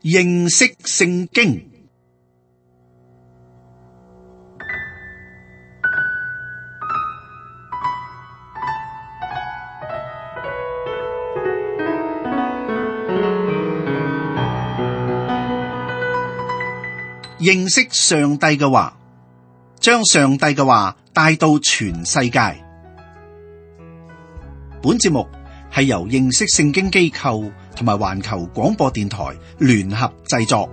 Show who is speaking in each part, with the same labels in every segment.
Speaker 1: 認識聖經。認識上帝嘅話，將上帝嘅話帶到全世界。本節目係由認識聖經機構同埋環球廣播電台聯合製作。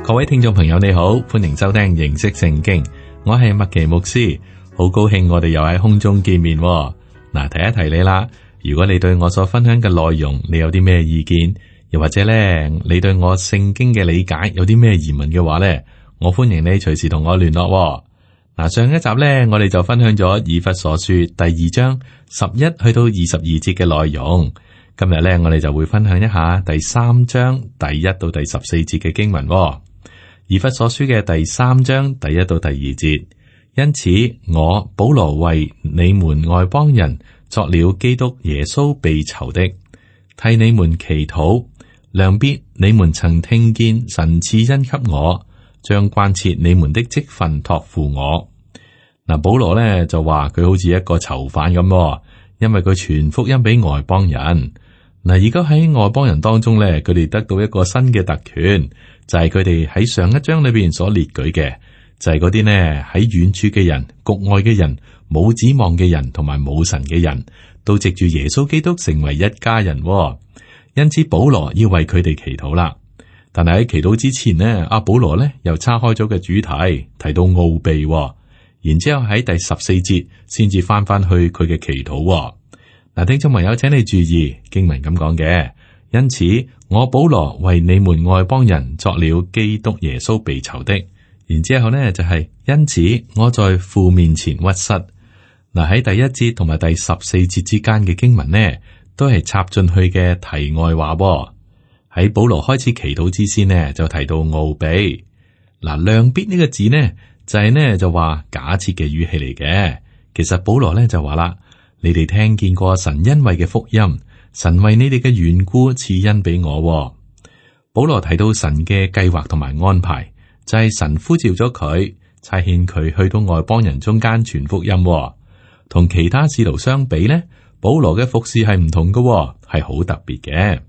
Speaker 2: 各位聽眾朋友你好，歡迎收聽認識聖經，我係麥奇牧師，好高興我哋又喺空中見面。嗱，提一提你啦，如果你對我所分享嘅內容你有啲咩意見，又或者咧你對我聖經嘅理解有啲咩疑問嘅話咧，我歡迎你隨時同我聯絡。嗱，上一集咧我哋就分享咗以弗所書第2章11去到22節嘅內容，今日咧我哋就會分享一下第3章第1到第14節嘅經文。以弗所書嘅第3章第1到第2節，因此我保羅為你們外邦人作了基督耶穌被囚的，替你們祈禱，量必你們曾聽見神賜恩給我，將關切你們的職分託付我。嗱，保羅咧就話佢好似一個囚犯咁，因為佢傳福音俾外邦人。嗱，而家喺外邦人當中咧，佢哋得到一個新嘅特權，就係佢哋喺上一章裏邊所列舉嘅，就係嗰啲呢喺遠處嘅人、局外嘅人、冇指望嘅人同埋冇神嘅人，都藉住耶穌基督成為一家人。因此保羅要為佢哋祈禱啦。但係喺祈禱之前呢，阿保羅呢又岔開咗嘅主題，提到奧秘，然之後喺第14節先至翻去佢嘅祈禱。嗱，聽眾朋友，請你注意經文咁講嘅，因此我保羅為你們外邦人作了基督耶穌被囚的。然之後呢就係因此我在父面前屈膝。嗱，喺第1節同埋第14節之間嘅經文呢，都係插進去嘅題外話。喺保羅開始祈禱之先呢，就提到奧秘。嗱，量必呢個字呢就係呢就話假設嘅語氣嚟嘅。其實保羅呢就話啦，你哋聽見過神恩惠嘅福音，神為你哋嘅緣故賜恩俾我。保羅提到神嘅計劃同埋安排，就係神呼召咗佢，差遣佢去到外邦人中間傳福音。同其他使徒相比呢，保羅嘅服侍係唔同嘅，係好特別嘅。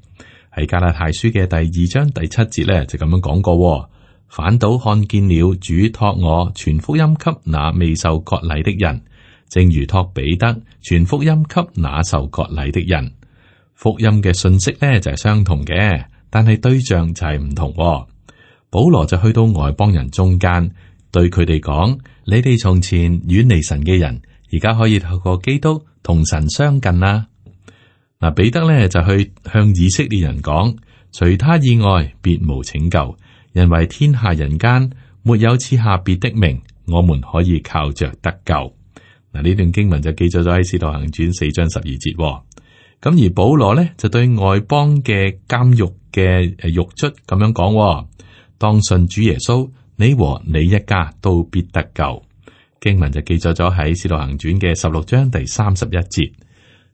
Speaker 2: 喺加拉太書嘅第2章第7節咧就咁樣講過，反倒看見了主託我傳福音給那未受割禮的人，正如託彼得傳福音給那受割禮的人。福音嘅信息咧就係相同嘅，但係對象就係唔同。保羅就去到外邦人中間，對佢哋講：你哋從前遠離神嘅人，而家可以透過基督同神相近啦。嗱，彼得咧就去向以色列人講：除他以外，別無拯救，因為天下人間沒有賜下別的名，我們可以靠着得救。嗱，呢段經文就記載咗喺《使徒行傳》4章12節。咁而保羅咧就對外邦嘅監獄嘅獄卒咁樣講：當信主耶穌，你和你一家都必得救。經文就記載咗喺《使徒行傳》嘅16章第31節。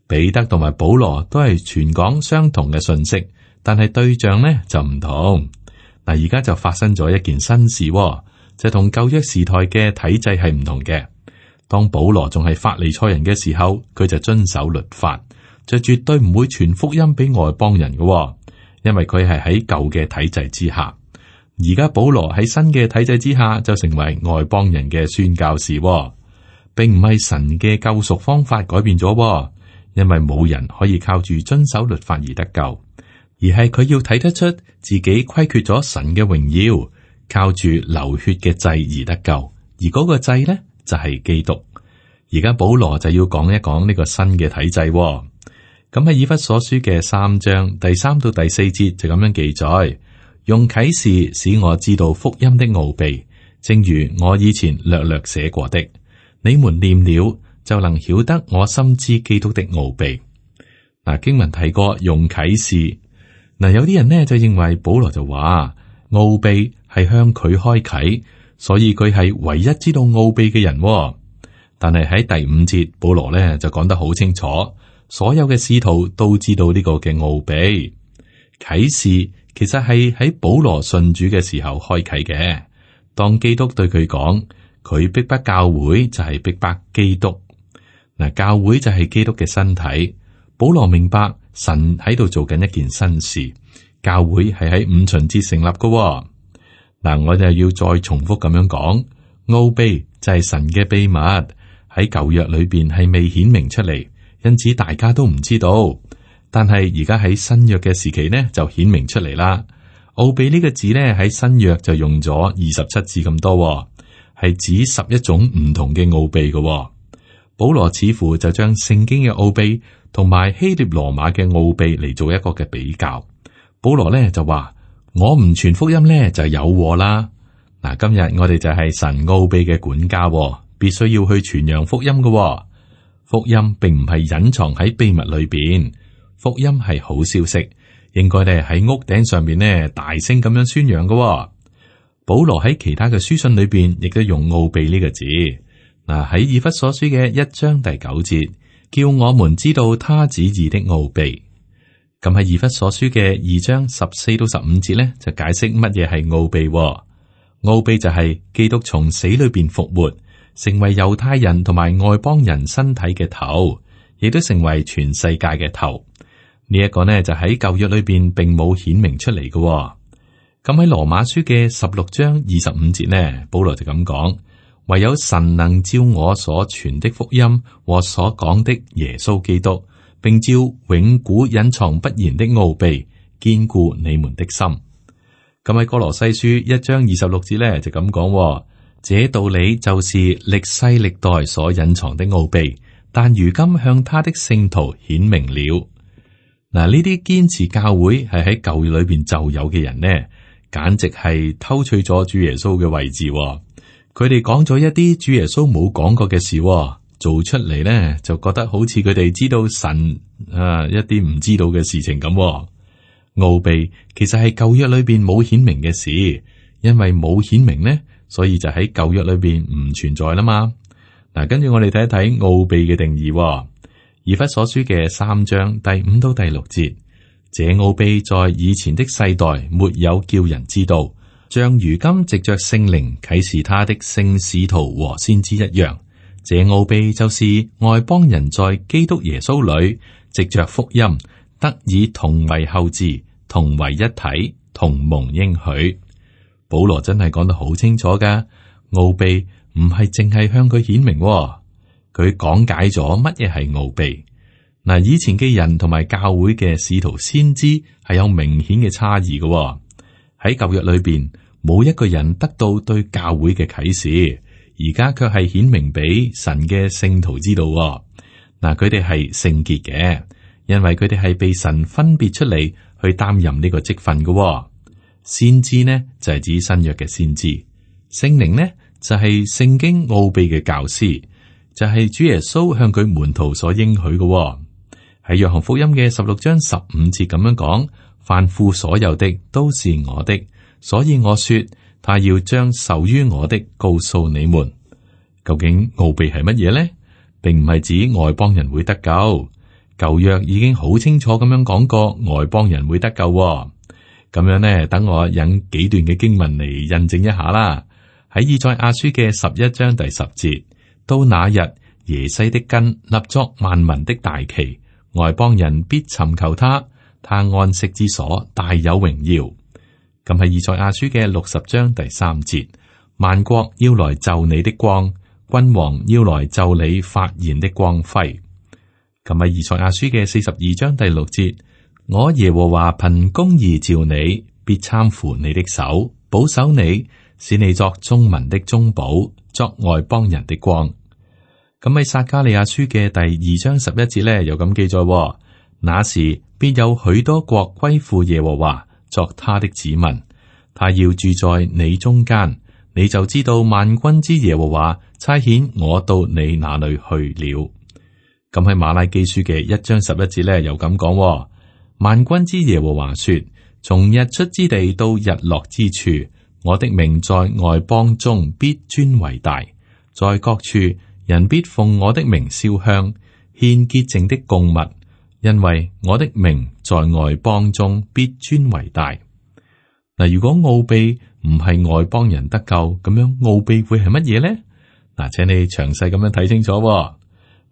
Speaker 2: 彼得同埋保羅都係傳講相同嘅信息，但係對象呢就唔同。嗱，而家就發生咗一件新事，就同舊約時代嘅體制係唔同嘅。當保羅仲係法利賽人嘅時候，佢就遵守律法，就絕對唔會傳福音俾外邦人嘅，因為佢係喺舊嘅體制之下。而家保羅喺新嘅體制之下，就成為外邦人嘅宣教士，並唔係神嘅救贖方法改變咗，因為冇人可以靠住遵守律法而得救，而係佢要睇得出自己虧缺咗神嘅榮耀，靠住流血嘅祭而得救，而嗰個祭呢就係基督。而家保羅就要講一講呢個新嘅體制。咁喺以弗所書嘅3章第3到第4節就咁樣記載：用啟示使我知道福音的奧秘，正如我以前略略寫過的，你們念了就能曉得我深知基督的奧秘。嗱，經文提過用啟示，有啲人呢就認為保羅就話奧秘係向佢開啟，所以佢係唯一知道奧秘嘅人喎。但係喺第五節，保羅呢就講得好清楚，所有嘅使徒都知道呢個嘅奧秘。啟示其實係喺保羅信主嘅時候開啟嘅。當基督對佢講，佢逼迫教會就係逼迫基督。嗱，教會就係基督嘅身體。保羅明白神喺度做緊一件新事，教會係喺五旬節成立嘅喎。嗱，我就要再重複咁樣講，奧秘就係神嘅秘密，喺舊約裏邊係未顯明出嚟，因此大家都唔知道。但係而家喺新約嘅時期呢，就顯明出嚟啦。奧秘呢個字呢，喺新約就用咗27字咁多喎，係指11種唔同嘅奧秘嘅喎。保羅似乎就將聖經嘅奧秘同埋希臘羅馬嘅奧秘嚟做一個嘅比較。保羅呢就話：我唔傳福音呢，就有禍啦。嗱，今日我哋就係神奧秘嘅管家喎，必須要去傳揚福音嘅喎。福音並唔係隱藏喺秘密裏邊，福音係好消息，應該咧喺屋頂上面呢大聲咁樣宣揚嘅喎。保羅喺其他嘅書信裏邊亦都用奧秘呢個字。嗱，喺以弗所書嘅1章第9節，叫我們知道他旨意的奧秘。咁喺以弗所書嘅2章14到15節咧，就解釋乜嘢係奧秘。奧秘就係基督從死裏邊復活，成為猶太人同埋外邦人身體嘅頭，亦都成為全世界嘅頭。呢一個呢就喺舊約裏邊並冇顯明出嚟嘅。咁喺羅馬書嘅16章25節呢，保羅就咁講。唯有神能照我所傳的福音和所講的耶穌基督，並照永古隱藏不言的奧秘，堅固你們的心。咁喺哥羅西書1章26節咧就咁講，這道理就是歷世歷代所隱藏的奧秘，但如今向他的聖徒顯明了。嗱，呢啲堅持教會係喺舊約裏邊就有嘅人呢，簡直係偷取咗主耶穌嘅位置。佢哋講咗一啲主耶穌冇講過嘅事，做出嚟呢就覺得好似佢哋知道神一啲唔知道嘅事情咁。奧秘其實係舊約裏邊冇顯明嘅事，因為冇顯明呢，所以就喺舊約裏邊唔存在啦嘛。嗱，跟住我哋睇一睇奧秘嘅定義。以弗所書嘅3章第5到第6節，這奧秘在以前的世代沒有叫人知道，像如今藉着聖靈啟示他的聖使徒和先知一樣。這奧秘就是外邦人在基督耶穌裏藉着福音得以同為後嗣，同為一體，同蒙應許。保羅真係講得好清楚噶，奧秘唔係淨係向佢顯明，佢講解咗乜嘢係奧秘。嗱，以前嘅人同埋教會嘅使徒先知係有明顯嘅差異嘅。喺舊約裏邊冇一個人得到對教會嘅啟示，而家卻係顯明俾神嘅聖徒知道。嗱，佢哋係聖潔嘅，因為佢哋係被神分別出嚟去擔任呢個職分嘅。先知呢就係指新約嘅先知，聖靈呢就係聖經奧秘嘅教師，就係主耶穌向佢門徒所應許嘅。喺約翰福音嘅16章15節咁樣講，凡父所有的都是我的，所以我說他要將受於我的告訴你們。究竟奧秘係乜嘢呢？並唔係指外邦人會得救，舊約已經好清楚咁樣講過外邦人會得救。咁樣呢，等我引幾段嘅經文嚟印證一下啦。喺以賽亞書嘅11章第10節，到那日耶西的根立作萬民的大旗，外邦人必尋求他，他安息之所大有榮耀。咁喺以賽亞書嘅60章第3節，萬國要來就你的光，君王要來就你發現的光輝。咁喺以賽亞書嘅42章第6節，我耶和華憑公義召你，必攙扶你的手，保守你，使你作眾民的中保，作外邦人的光。咁喺撒迦利亞書嘅第2章11節咧，有咁記載：那時必有許多國歸附耶和華，作他的子民，他要住在你中間，你就知道萬軍之耶和華差遣我到你那裏去了。咁喺馬拉基書嘅1章11節咧，又咁講：萬軍之耶和華說，從日出之地到日落之處，我的名在外邦中必尊為大，在各處人必奉我的名燒香，獻潔淨的供物，因為我的名在外邦中必尊為大。嗱，如果奧秘唔係外邦人得救，咁樣奧秘會係乜嘢呢？嗱，請你詳細咁樣睇清楚喎。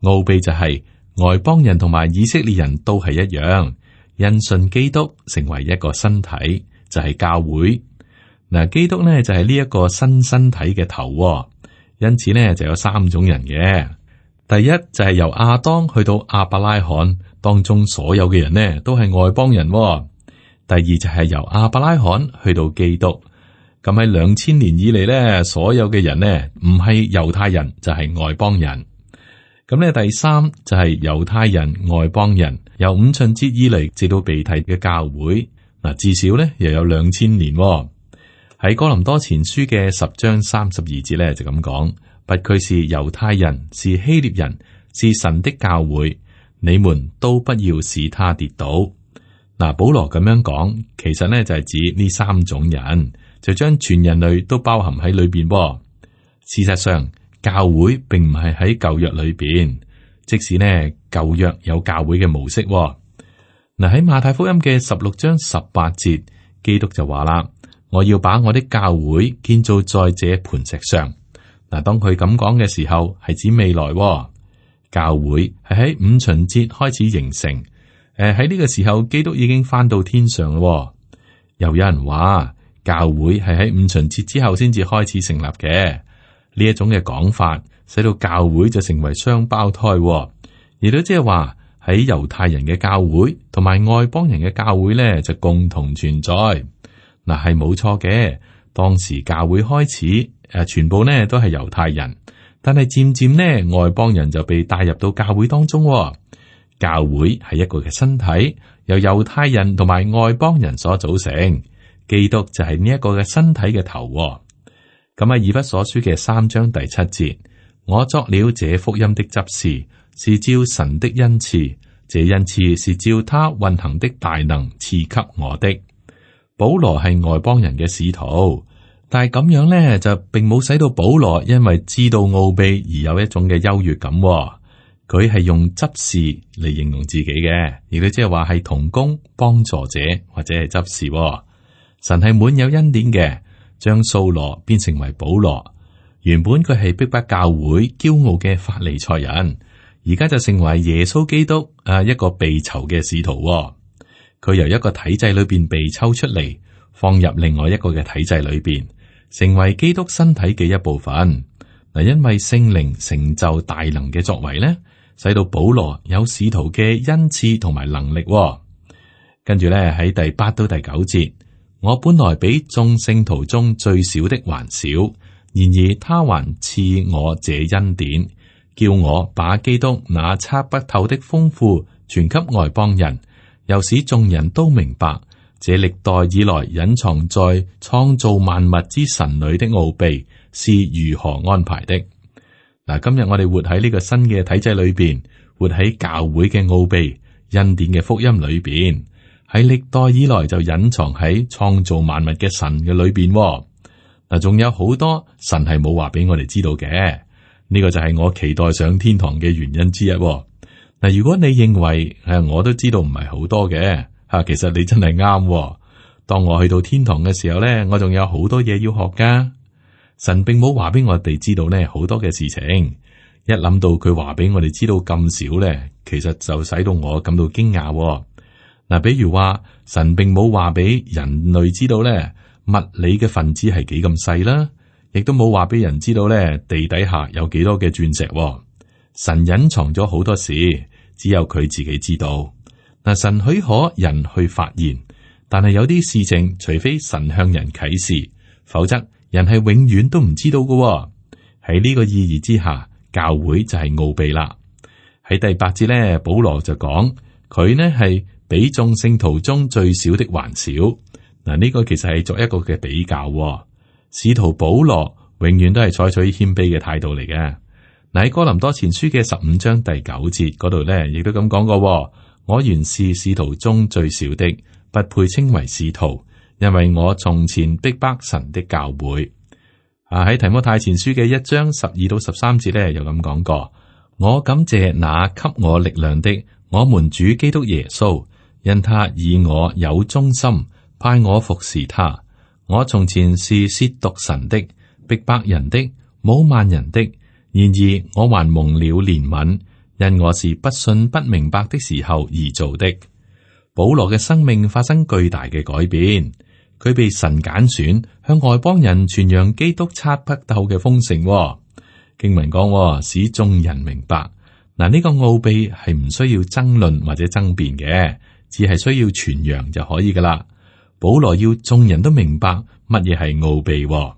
Speaker 2: 奧秘就係外邦人同埋以色列人都係一樣，因信基督成為一個身體，就係教會。嗱，基督呢就係呢一個新身體嘅頭喎，因此呢就有三種人嘅。第一就係由亞當去到亞伯拉罕當中所有嘅人呢都係外邦人喎。第二就係由亞伯拉罕去到基督，咁喺2000年以嚟呢，所有嘅人呢唔係猶太人就係外邦人。咁呢第三就係猶太人、外邦人，由五旬節以嚟直到被提嘅教會，嗱至少呢又有2000年喎。喺哥林多前書嘅10章32節咧就咁講，不拘是猶太人，是希臘人，是神的教會，你們都不要使他跌倒。嗱，保羅咁樣講，其實呢就係指呢三種人，就將全人類都包含喺裏邊。事實上，教會並唔係喺舊約裏邊，即使呢舊約有教會嘅模式。嗱，喺馬太福音嘅16章18節，基督就話啦。我要把我的教會建造在這磐石上。嗱，當佢咁講嘅時候，係指未來。教會係喺五旬節開始形成。喺呢個時候，基督已經翻到天上咯。又有人話，教會係喺五旬節之後先至開始成立嘅。呢一種嘅講法，使到教會就成為雙胞胎。亦都即係話喺猶太人嘅教會同埋外邦人嘅教會咧，就共同存在。嗱，係冇錯嘅。當時教會開始，全部呢都係猶太人，但係漸漸呢，外邦人就被帶入到教會當中。教會係一個嘅身體，由猶太人同埋外邦人所組成。基督就係呢一個嘅身體嘅頭。咁喺以弗所書嘅3章第7節，我作了這福音的執事，是照神的恩賜，這恩賜是照他運行的大能賜給我的。保羅係外邦人嘅使徒，但係咁樣咧就並冇使到保羅因為知道奧秘而有一種嘅優越感。佢係用執事嚟形容自己嘅，亦都即係話係同工、幫助者或者係執事。神係滿有恩典嘅，將掃羅變成為保羅。原本佢係逼迫教會、驕傲嘅法利賽人，而家就成為耶穌基督一個被囚嘅使徒。佢由一個體制裏邊被抽出嚟，放入另外一個嘅體制裏邊，成為基督身體嘅一部分。嗱，因為聖靈成就大能嘅作為咧，使到保羅有使徒嘅恩賜同埋能力。跟住咧喺第8到第9節，我本來比眾聖徒中最小的還小，然而他還賜我這恩典，叫我把基督那測不透的豐富傳給外邦人。又使眾人都明白，這歷代以來隱藏在創造萬物之神裏的奧秘是如何安排的。嗱，今日我哋活喺呢個新嘅體制裏邊，活喺教會嘅奧秘恩典嘅福音裏邊，喺歷代以來就隱藏喺創造萬物嘅神嘅裏邊。嗱，仲有好多神係冇話俾我哋知道嘅，呢個就係我期待上天堂嘅原因之一。嗱，如果你認為我都知道唔係好多嘅，其實你真係啱。當我去到天堂嘅時候咧，我仲有好多嘢要學噶。神並冇話俾我哋知道咧好多嘅事情，一諗到佢話俾我哋知道咁少咧，其實就使到我感到驚訝。嗱，比如話神並冇話俾人類知道咧物理嘅分子係幾咁細啦，亦都冇話俾人知道咧地底下有幾多嘅鑽石。神隱藏咗好多事，只有佢自己知道。嗱，神許可人去發現，但係有啲事情，除非神向人啟示，否則人係永遠都唔知道嘅。喺呢個意義之下，教會就係奧秘啦。喺第8節咧，保羅就講佢呢係比眾聖徒中最小的還小。嗱，呢個其實係作一個嘅比較。使徒保羅永遠都係採取謙卑嘅態度嚟嘅。嗱，喺哥林多前書嘅15章第9節嗰度咧，亦都咁講過。我原是使徒中最小的，不配稱為使徒，因為我從前逼迫神的教會。喺提摩太前書嘅1章12到13節咧，又咁講過：我感謝那給我力量的，我們主基督耶穌，因他以我有忠心，派我服侍他。我從前是褻瀆神的，逼迫人的，侮慢人的，然而我還蒙了憐憫，因我是不信不明白的時候而做的。保羅嘅生命發生巨大嘅改變。佢被神揀選，向外邦人傳揚基督測不透嘅豐盛。經文講，使眾人明白。嗱，呢個奧秘係唔需要爭論或者爭辯嘅，只係需要傳揚就可以噶啦。保羅要眾人都明白乜嘢係奧秘。咁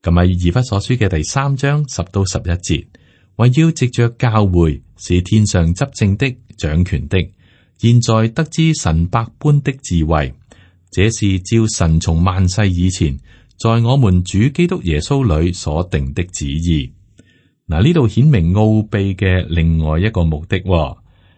Speaker 2: 喺以弗所書嘅第3章10到11節，為要藉着教會，是天上執政的、掌權的，現在得知神百般的智慧。這是照神從萬世以前，在我們主基督耶穌裏所定的旨意。嗱，呢度顯明奧秘嘅另外一個目的。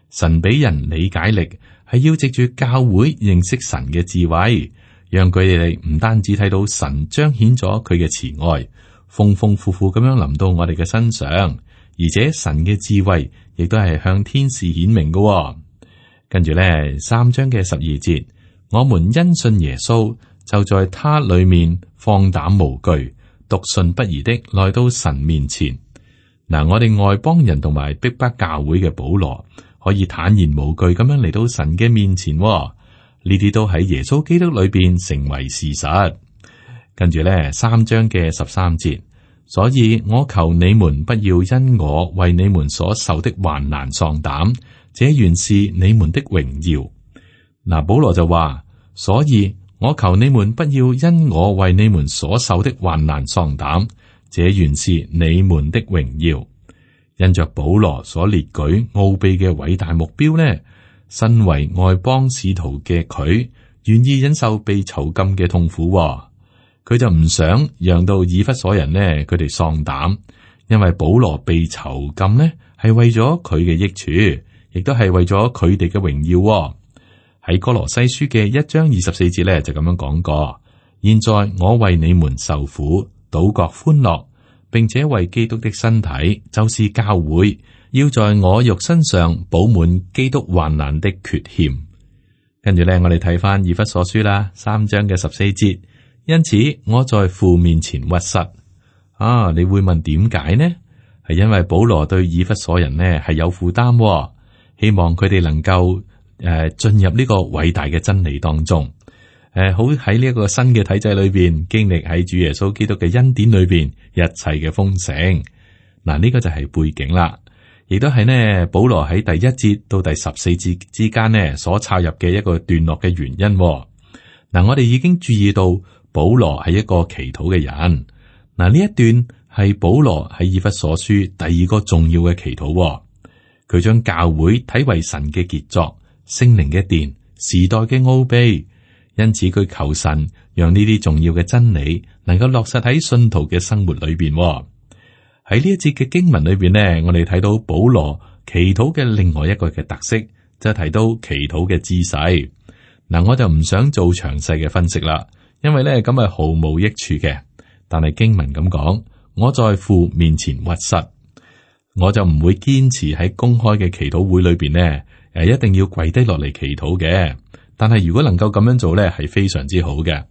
Speaker 2: 神俾人理解力，係要藉住教會認識神嘅智慧，讓佢哋唔單止睇到神彰顯咗佢嘅慈愛，豐豐富富咁樣臨到我哋嘅身上，而且神嘅智慧亦都係向天使顯明嘅。跟住咧，3章嘅12節。我們因信耶穌，就在他裏面放膽無懼，篤信不疑的來到神面前。嗱，我哋外邦人同埋逼迫教會嘅保羅，可以坦然無懼咁樣嚟到神嘅面前。呢啲都喺耶穌基督裏邊成為事實。跟住咧，3章嘅13節，所以我求你們不要因我為你們所受的患難喪膽，這原是你們的榮耀。嗱，保羅就話，所以我求你們不要因我為你們所受的患難喪膽，這原是你們的榮耀。因着保羅所列舉奧秘嘅偉大目標呢，身為外邦使徒嘅佢，願意忍受被囚禁嘅痛苦。佢就唔想讓到以弗所人呢，佢哋喪膽，因為保羅被囚禁呢，係為咗佢嘅益處，亦都係為咗佢哋嘅榮耀。喺哥羅西書嘅1章24節咧，就咁樣講過：現在我為你們受苦，倒覺歡樂，並且為基督的身體，就是教會，要在我肉身上補滿基督患難的缺欠。跟住咧，我哋睇翻以弗所書啦，3章嘅14節。因此我在父面前屈膝。你會問點解呢？係因為保羅對以弗所人呢係有負擔，希望佢哋能夠進入呢個偉大嘅真理當中，好喺呢一個新嘅體制裏邊，經歷喺主耶穌基督嘅恩典裏邊一切嘅豐盛。嗱，呢個就係背景啦，亦都係呢保羅喺第1節到第14節之間呢所插入嘅一個段落嘅原因。嗱，我哋已經注意到保羅係一個祈禱嘅人。嗱，呢一段係保羅喺以弗所書第2個重要嘅祈禱，佢將教會睇為神嘅傑作。聖靈嘅殿，時代嘅奧秘，因此佢求神讓呢啲重要嘅真理能夠落實喺信徒嘅生活裏邊。喺呢一節嘅經文裏邊呢，我哋睇到保羅祈禱嘅另外一個嘅特色，就係提到祈禱嘅姿勢。嗱，我就唔想做詳細嘅分析啦，因為咧咁係毫無益處嘅。但係經文咁講，我在父面前屈膝，我就唔會堅持喺公開嘅祈禱會裏邊呢。一定要跪低落嚟祈禱嘅，但係如果能夠咁樣做咧，係非常之好嘅。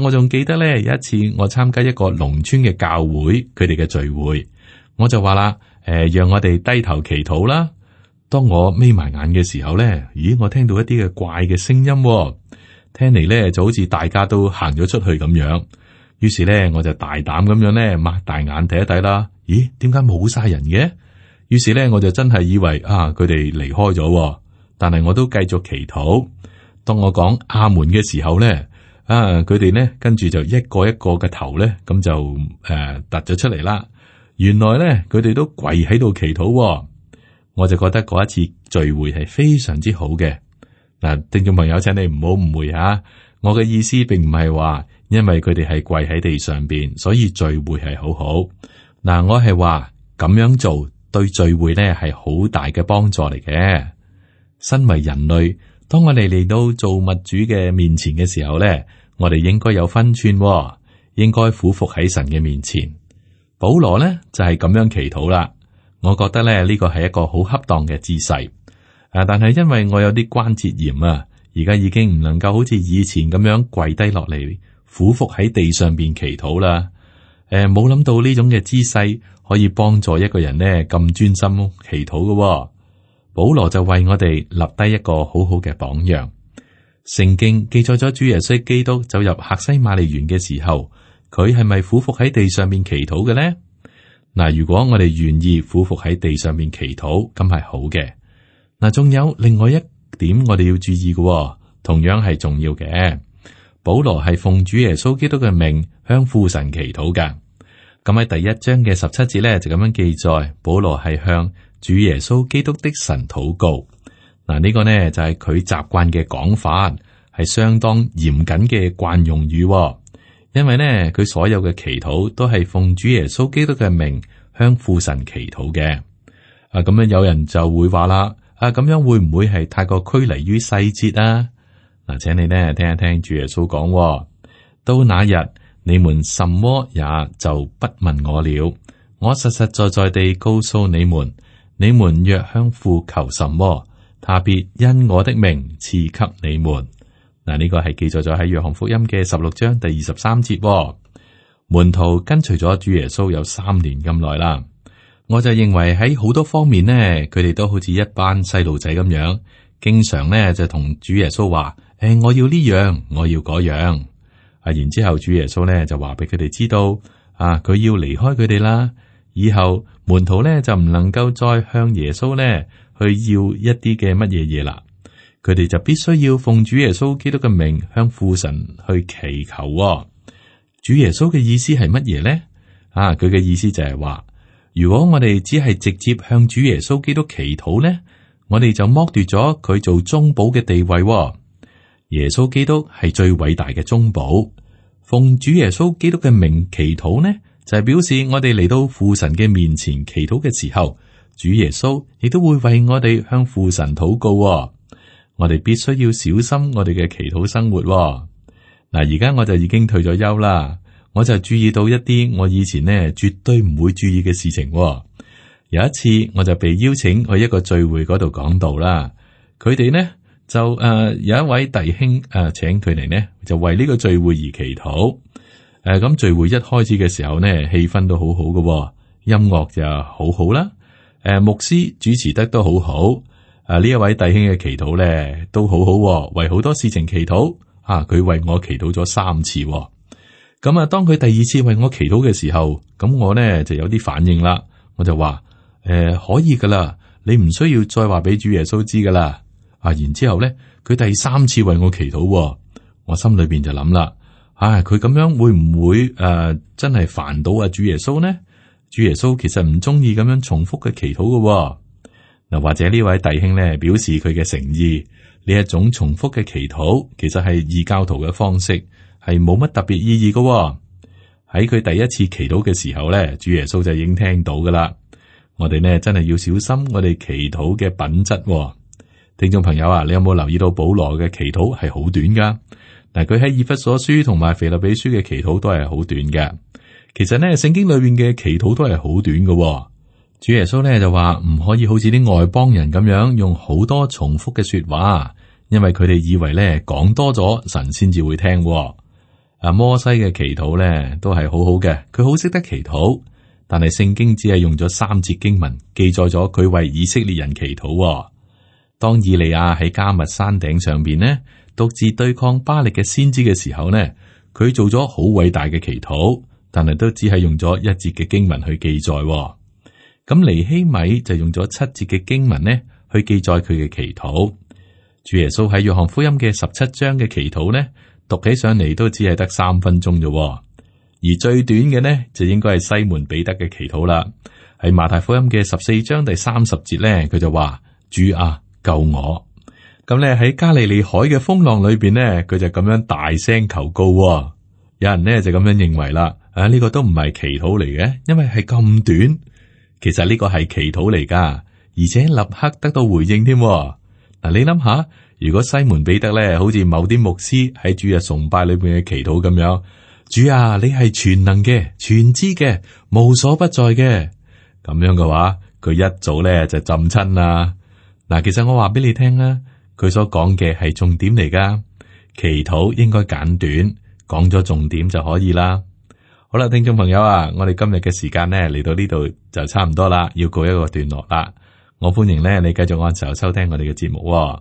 Speaker 2: 我仲記得咧，有一次我參加一個農村嘅教會，佢哋嘅聚會，我就話啦，讓我哋低頭祈禱啦。當我眯埋眼嘅時候咧，咦，我聽到一啲嘅怪嘅聲音，聽嚟咧就好似大家都行咗出去咁樣。於是咧，我就大膽咁樣咧，擘大眼睇一睇啦。咦，點解冇晒人嘅？於是咧，我就真係以為佢哋離開咗，但係我都繼續祈禱。當我講阿門嘅時候咧，佢哋咧跟住就一個一個嘅頭咧，咁就突咗出嚟啦。原來咧，佢哋都跪喺度祈禱，我就覺得嗰一次聚會係非常之好嘅。嗱，聽眾朋友，請你唔好誤會吓，我嘅意思並唔係話因為佢哋係跪喺地上邊，所以聚會係好好。嗱，我係話咁樣做。對聚會咧係好大嘅幫助嚟嘅。身為人類，當我哋嚟到造物主嘅面前嘅時候咧，我哋應該有分寸，應該俯伏喺神嘅面前。保羅呢就係咁樣祈禱啦。我覺得咧呢個係一個好恰當嘅姿勢。但係因為我有啲關節炎啊，而家已經唔能夠好似以前咁樣跪低落嚟俯伏喺地上邊祈禱啦。冇諗到呢種嘅姿勢可以幫助一個人呢咁專心祈禱嘅。保羅就為我哋立低一個好好嘅榜樣。聖經記載咗主耶穌基督走入客西馬尼園嘅時候，佢係咪俯伏喺地上面祈禱嘅呢？嗱，如果我哋願意俯伏喺地上面祈禱，咁係好嘅。嗱，仲有另外一點我哋要注意嘅，同樣係重要嘅。保羅係奉主耶穌基督嘅名向父神祈禱噶。咁喺第一章嘅17節咧就咁樣記載，保羅係向主耶穌基督的神禱告。嗱，呢個呢就係佢習慣嘅講法，係相當嚴謹嘅慣用語。因為呢佢所有嘅祈禱都係奉主耶穌基督嘅名向父神祈禱嘅。咁樣有人就會話啦，咁樣會唔會係太過拘泥於細節啊？嗱，請你呢聽一聽主耶穌講，到那日你們什麼也就不問我了。我實實在在地告訴你們，你們若向父求什麼，他必因我的名賜給你們。嗱，呢個係記載咗喺約翰福音嘅16章第23節。門徒跟隨咗主耶穌有3年咁耐啦。我就認為喺好多方面呢，佢哋都好似一班細路仔咁樣，經常呢就同主耶穌話：我要呢樣，我要嗰樣。然之後主耶穌呢就話俾佢哋知道，佢要離開佢哋啦。以後門徒呢就唔能夠再向耶穌呢去要一啲嘅乜嘢嘢啦。佢哋就必須要奉主耶穌基督嘅名向父神去祈求。主耶穌嘅意思係乜嘢呢？佢嘅意思就係話，如果我哋只係直接向主耶穌基督祈禱呢，我哋就剝奪咗佢做中保嘅地位。耶穌基督係最偉大嘅中保，奉主耶穌基督嘅名祈禱呢，就係表示我哋嚟到父神嘅面前祈禱嘅時候，主耶穌亦都會為我哋向父神禱告。我哋必須要小心我哋嘅祈禱生活。嗱，而家我就已經退咗休啦。我就注意到一啲我以前呢絕對唔會注意嘅事情。有一次我就被邀請去一個聚會嗰度講道啦。佢哋呢就有一位弟兄請佢哋呢就為呢個聚會而祈禱。咁聚會一開始嘅時候呢，氣氛都好好嘅，音樂就好好啦。牧師主持得都好好。呢一位弟兄嘅祈禱呢都好好，為好多事情祈禱。佢為我祈禱咗3次。咁當佢第2次為我祈禱嘅時候，咁我呢就有啲反應啦。我就話可以噶啦，你唔需要再話俾主耶穌知噶啦。然之後呢，佢第3次為我祈禱，我心裏邊就諗啦，佢咁樣會唔會真係煩到主耶穌呢？主耶穌其實唔中意咁樣重複嘅祈禱噶。嗱，或者呢位弟兄呢表示佢嘅誠意，呢一種重複嘅祈禱其實係異教徒嘅方式，係冇乜特別意義噶。喺佢第1次祈禱嘅時候呢，主耶穌就已經聽到噶啦。我哋呢真係要小心我哋祈禱嘅品質。聽眾朋友啊，你有冇留意到保羅嘅祈禱係好短噶？嗱，佢喺以弗所書同埋腓立比書嘅祈禱都係好短嘅。其實呢，聖經裏面嘅祈禱都係好短噶。主耶穌呢就話唔可以好似啲外邦人咁樣用好多重複嘅說話，因為佢哋以為呢講多咗神先至會聽。摩西嘅祈禱呢都係好好嘅，佢好識得祈禱，但係聖經只係用咗3節經文記載咗佢為以色列人祈禱。當以利亞喺迦密山頂上邊呢獨自對抗巴力嘅先知嘅時候呢，佢做咗好偉大嘅祈禱，但係都只係用咗1節嘅經文去記載。咁尼希米就用咗7節嘅經文呢去記載佢嘅祈禱。主耶穌喺約翰福音嘅17章嘅祈禱呢，讀起上嚟都只係得3分鐘啫。而最短嘅呢就應該係西門彼得嘅祈禱啦。喺馬太福音嘅14章第30節呢，佢就話：主啊，救我！咁咧喺加利利海嘅風浪裏邊呢，佢就咁樣大聲求告。有人呢就咁樣認為啦，呢個都唔係祈禱嚟嘅，因為係咁短。其實呢個係祈禱嚟噶，而且立刻得到回應添。嗱，你諗下，如果西門彼得咧，好似某啲牧師喺主日崇拜裏邊嘅祈禱咁樣，主啊，你係全能嘅、全知嘅、無所不在嘅，咁樣嘅話，佢一早咧就浸親啦。嗱，其實我話俾你聽啦，佢所講嘅係重點嚟噶，祈禱應該簡短，講咗重點就可以啦。好啦，聽眾朋友啊，我哋今日嘅時間呢嚟到呢度就差唔多啦，要告一個段落啦。我歡迎呢你繼續按時收聽我哋嘅節目喎。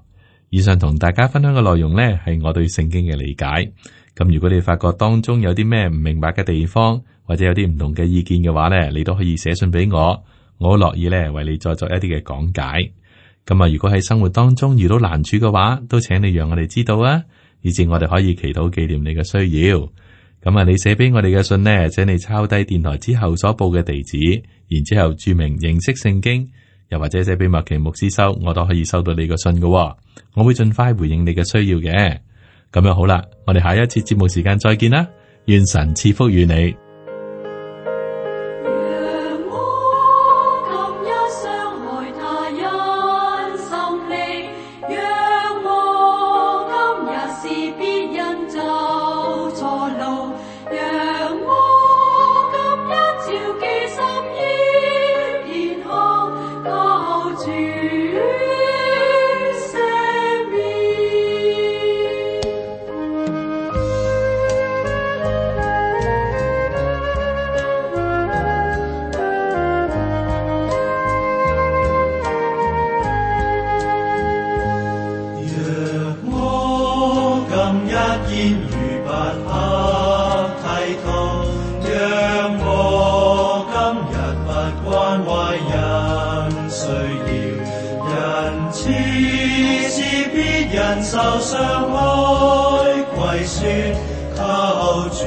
Speaker 2: 以上同大家分享嘅內容呢係我對聖經嘅理解。咁如果你發覺當中有啲咩唔明白嘅地方，或者有啲唔同嘅意見嘅話呢，你都可以寫信俾我，我好樂意呢為你再作一啲嘅講解。咁啊，如果喺生活當中遇到難處嘅話，都請你讓我哋知道啊，以至我哋可以祈禱紀念你嘅需要。咁啊，你寫俾我哋嘅信呢，請你抄低電台之後所報嘅地址，然之後注明認識聖經，又或者寫俾麥奇牧師收，我都可以收到你個信嘅。我會盡快回應你嘅需要嘅。咁樣好啦，我哋下一次節目時間再見啦，願神賜福與你。
Speaker 3: 受傷哀跪說求主